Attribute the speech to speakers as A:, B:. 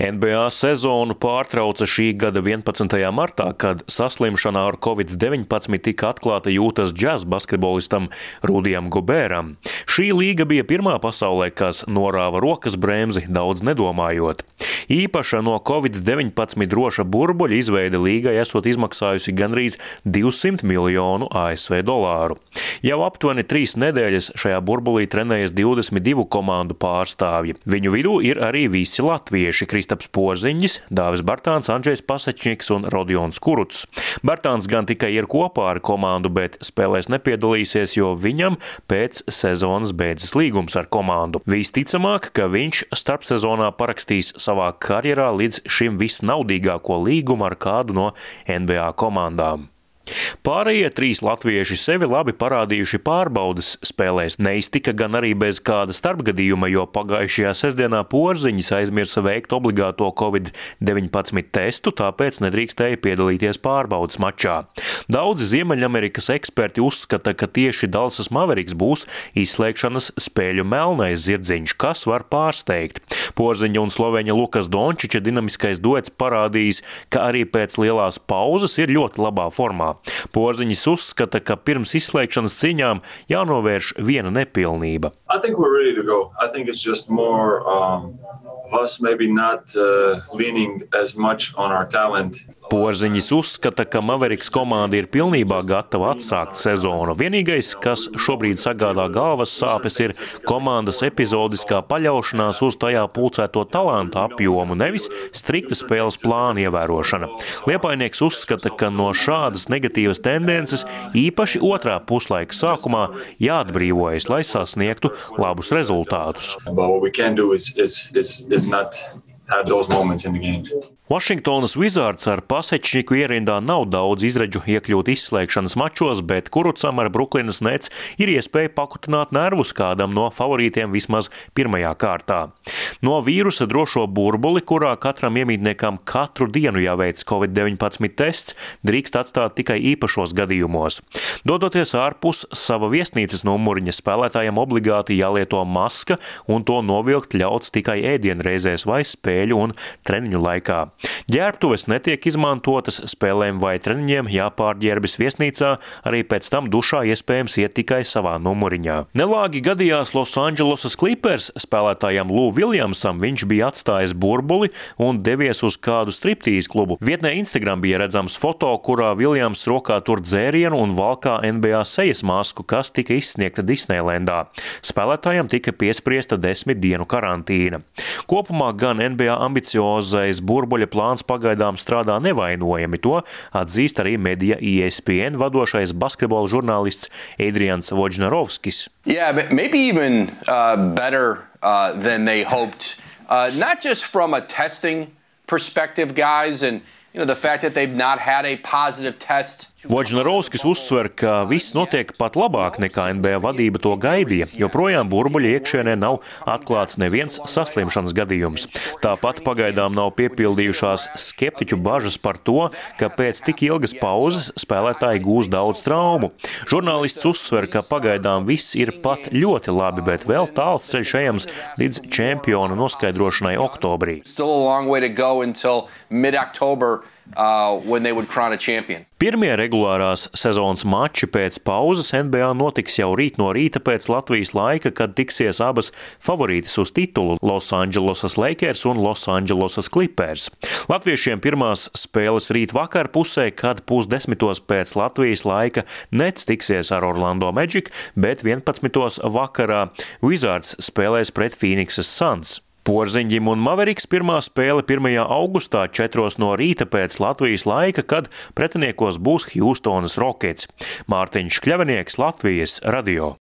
A: NBA sezonu pārtrauca šī gada 11. martā, kad saslimšanā ar Covid-19 tika atklāta jūtas džaz basketbolistam Rudijam Gobēram. Šī līga bija pirmā pasaulē, kas norāva rokas bremzi, daudz nedomājot. Īpaša no Covid-19 droša burbuļa izveide līgai esot izmaksājusi gandrīz 200 miljonu ASV dolāru. Jau aptuveni 3 nedēļas šajā burbulī trenējas 22 komandu pārstāvji. Viņu vidū ir arī visi latvieši – Kristaps Porziņģis, Dāvis Bartāns, Andžejs Pasečņiks un Rodions Kurucs. Bartāns gan tikai ir kopā ar komandu, bet spēlēs nepiedalīsies, jo viņam pēc sezonas beidzas līgums ar komandu. Visticamāk, ka viņš starpsezonā parakstīs savā karjerā līdz šim visnaudīgāko līgumu ar kādu no NBA komandām. Pārējie 3 latvieši sevi labi parādījuši pārbaudes spēlēs. Neiztika gan arī bez kāda starpgadījuma, jo pagājušajā sestdienā Porziņģis aizmirsa veikt obligāto Covid-19 testu, tāpēc nedrīkstēja piedalīties pārbaudes mačā. Daudzi Ziemeļamerikas eksperti uzskata, ka tieši Dallasas Mavericks būs izslēgšanas spēļu melnais zirdziņš, kas var pārsteigt. Porziņģa un slovēņa Lukas Dončiča dinamiskais duets parādījis, ka arī pēc lielās pauzes ir ļoti labā formā. Porziņģis uzskata, ka pirms izslēgšanas cīņām jānovērš viena nepilnība.
B: I think we're ready to go. I think it's just more us maybe not leaning as much on our talent.
A: Porziņģis uzskata, ka Mavericks komanda ir pilnībā gatava atsākt sezonu. Vienīgais, kas šobrīd sagādā galvas sāpes, ir komandas epizodiskā paļaušanās uz tajā pulcēto talantu apjomu, nevis strikta spēles plāna ievērošana. Liepainieks uzskata, ka no šādas negatīvas tendences īpaši otrā puslaika sākumā jāatbrīvojas, lai sasniegtu labus rezultātus. Vašingtonas Wizards ar Pasečņiku ierindā nav daudz izredzu iekļūt izslēgšanas mačos, bet Kurucam ar Bruklinas Nets ir iespēja pakutināt nervus kādam no favorītiem vismaz pirmajā kārtā. No vīrusa drošo burbuli, kurā katram iemītniekam katru dienu jāveic Covid-19 tests, drīkst atstāt tikai īpašos gadījumos. Dodoties ārpus sava viesnīcas numuriņa, spēlētājiem obligāti jālieto maska un to novilkt ļauts tikai ēdienreizēs vai spēļu un treniņu laikā. Ģērbtuves netiek izmantotas, spēlēm vai treniņiem jāpārģērbjas viesnīcā, arī pēc tam dušā iespējams iet tikai savā numuriņā. Nelāgi gadījās Losandželosas Clippers spēlētājam Lou Williamsam, viņš bija atstājis burbuli un devies uz kādu striptīz klubu. Vietnē Instagram bija redzams foto, kurā Williams rokā tur dzērienu un valkā NBA sejas masku, kas tika izsniegta Disneylandā. Spēlētājam tika piespriesta 10 dienu karantīna. Kopumā gan NBA ambiciozais burbuļa plāns pagaidām strādā nevainojami. To atzīst arī medija ESPN vadošais basketbola žurnālists Adrians Wojnarowskis.
C: Yeah, maybe even better than they hoped. Not just from a testing perspective, guys, and the fact that they've not had a positive test.
A: Wojnarowskis uzsver, ka viss notiek pat labāk nekā NBA vadība to gaidīja, joprojām burbuļa iekšienē nav atklāts neviens saslimšanas gadījums. Tāpat pagaidām nav piepildījušās skeptiķu bažas par to, ka pēc tik ilgas pauzes spēlētāji gūs daudz traumu. Žurnālists uzsver, ka pagaidām viss ir pat ļoti labi, bet vēl tāls ceļš ejams līdz čempionu noskaidrošanai oktobrī.
C: Still a long way to go until mid-October. When they would crown a champion.
A: Pirmie regulārās sezonas mači pēc pauzes NBA notiks jau rīt no rīta pēc Latvijas laika, kad tiksies abas favorītes uz titulu – Losandželosas Lakers un Losandželosas Clippers. Latviešiem pirmās spēles rīt vakar pusē, kad 9:30 pēc Latvijas laika Nets tiksies ar Orlando Magic, bet 11:00 vakarā Wizards spēlēs pret Phoenixas Suns. Porziņģim un Mavericks pirmā spēle 1. augustā 4:00 no rīta pēc Latvijas laika, kad pretiniekos būs Hjustonas Rockets. Mārtiņš Kļavinieks, Latvijas radio.